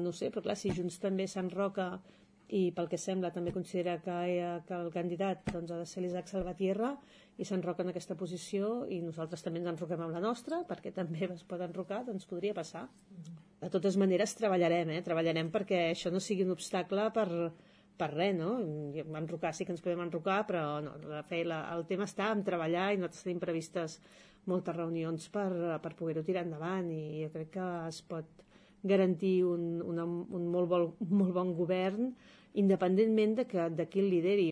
no sé, però clar, si Junts també s'enroca i pel que sembla també considera que el candidat doncs, ha de ser l'Isaac Salvatierra i s'enroca en aquesta posició i nosaltres també ens enroquem amb la nostra perquè també es pot enrocar, doncs podria passar. De totes maneres treballarem perquè això no sigui un obstacle per res, no? Enrocar sí que ens podem enrocar, però no, el tema està en treballar i nosaltres tenim previstes moltes reunions per poder-ho tirar endavant i jo crec que es pot garantir un molt bon govern independentment de qui el lideri.